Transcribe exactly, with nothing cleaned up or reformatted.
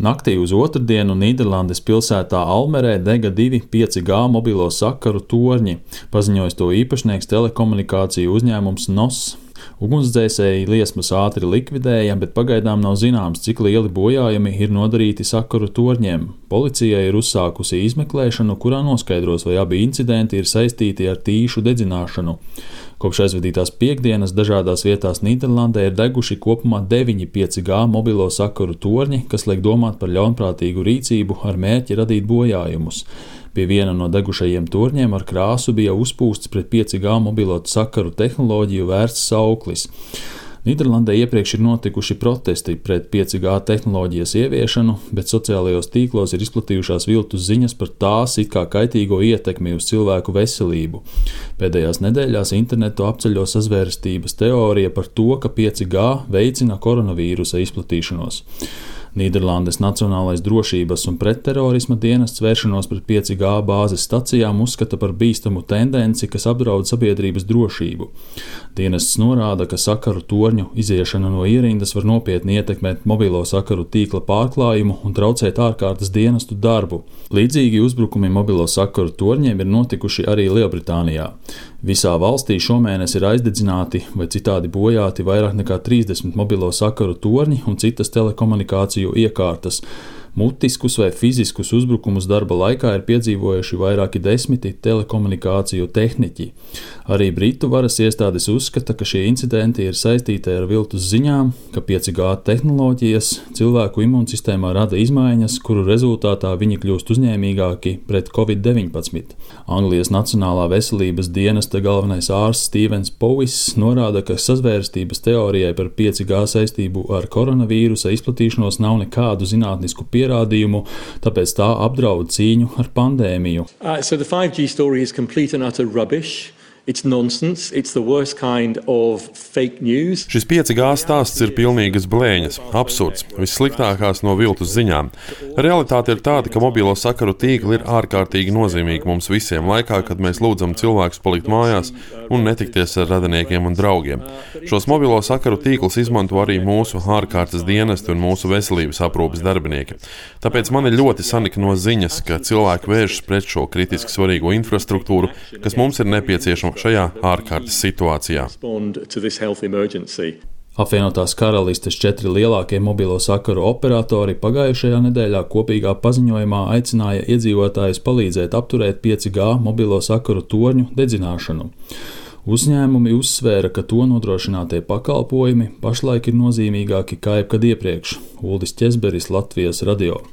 Naktī uz otrdienu Nīderlandes pilsētā Almerē dega divi pieci G mobilo sakaru torņi, paziņojis to īpašnieks telekomunikāciju uzņēmums N O S. Ugunsdzēsēji liesmas ātri likvidēja, bet pagaidām nav zināms, cik lieli bojājumi ir nodarīti sakaru torņiem. Policija ir uzsākusi izmeklēšanu, kurā noskaidros, vai abi incidenti ir saistīti ar tīšu dedzināšanu. Kopš aizvadītās piektdienas dažādās vietās Nīderlandē ir deguši kopumā deviņi pieci G mobilo sakaru torņi, kas liek domāt par ļaunprātīgu rīcību ar mērķi radīt bojājumus. Pie viena no degušajiem torņiem ar krāsu bija uzpūsts pret pieci G mobilo sakaru tehnoloģiju vērsts sauklis. Nīderlandē iepriekš ir notikuši protesti pret pieci G tehnoloģijas ieviešanu, bet sociālajos tīklos ir izplatījušās viltus ziņas par tās it kā kaitīgo ietekmi uz cilvēku veselību. Pēdējās nedēļās internetu apceļo sazvērstības teorija par to, ka pieci G veicina koronavīrusa izplatīšanos. Nīderlandes Nacionālais drošības un pretterorisma dienests vēršanos pret pieci G bāzes stacijām uzskata par bīstamu tendenci, kas apdraud sabiedrības drošību. Dienests norāda, ka sakaru torņu iziešana no ierindas var nopietni ietekmēt mobilo sakaru tīkla pārklājumu un traucēt ārkārtas dienestu darbu. Līdzīgi uzbrukumi mobilo sakaru torņiem ir notikuši arī Lielbritānijā. Visā valstī šomēnes ir aizdedzināti vai citādi bojāti vairāk nekā trīsdesmit mobilo sakaru torņi un citas telekomunikāciju iekārtas. Mutiskus vai fiziskus uzbrukumus darba laikā ir piedzīvojuši vairāki desmiti telekomunikāciju tehniķi. Arī Britu varas iestādes uzskata, ka šie incidenti ir saistīti ar viltus ziņām, ka pieci G tehnoloģijas cilvēku imūnsistēmā rada izmaiņas, kuru rezultātā viņi kļūst uzņēmīgāki pret covid deviņpadsmit. Anglijas Nacionālā veselības dienesta galvenais ārsts Stevens Powis norāda, ka sazvērstības teorijai par pieci G saistību ar koronavīrusa izplatīšanos nav nekādu zinātnisku pierādījumu. pierādījumu, tāpēc tā apdraud cīņu ar pandēmiju. Uh, so the five G story is complete and utter rubbish. It's nonsense. It's the worst kind of fake news. Šis pieci G stāsts ir pilnīgas blēņas, absurds, vissliktākās no viltus ziņām. Realitāte ir tāda, ka mobilo sakaru tīkli ir ārkārtīgi nozīmīgi mums visiem laikā, kad mēs lūdzam cilvēkus palikt mājās un netikties ar radiniekiem un draugiem. Šos mobilo sakaru tīklus izmanto arī mūsu ārkārtas dienesti un mūsu veselības aprūpes darbinieki. Tāpēc man ir ļoti sanikno ziņas, ka cilvēki vēršas pret šo kritiski svarīgo infrastruktūru, kas mums ir nepieciešama šajā ārkārtas situācijā. Apvienotās Karalistes četri lielākie mobilo sakaru operatori pagājušajā nedēļā kopīgā paziņojumā aicināja iedzīvotājus palīdzēt apturēt pieci G mobilo sakaru torņu dedzināšanu. Uzņēmumi uzsvēra, ka to nodrošinātie pakalpojumi pašlaik ir nozīmīgāki kā jebkad iepriekš. Uldis Ķezberis, Latvijas radio.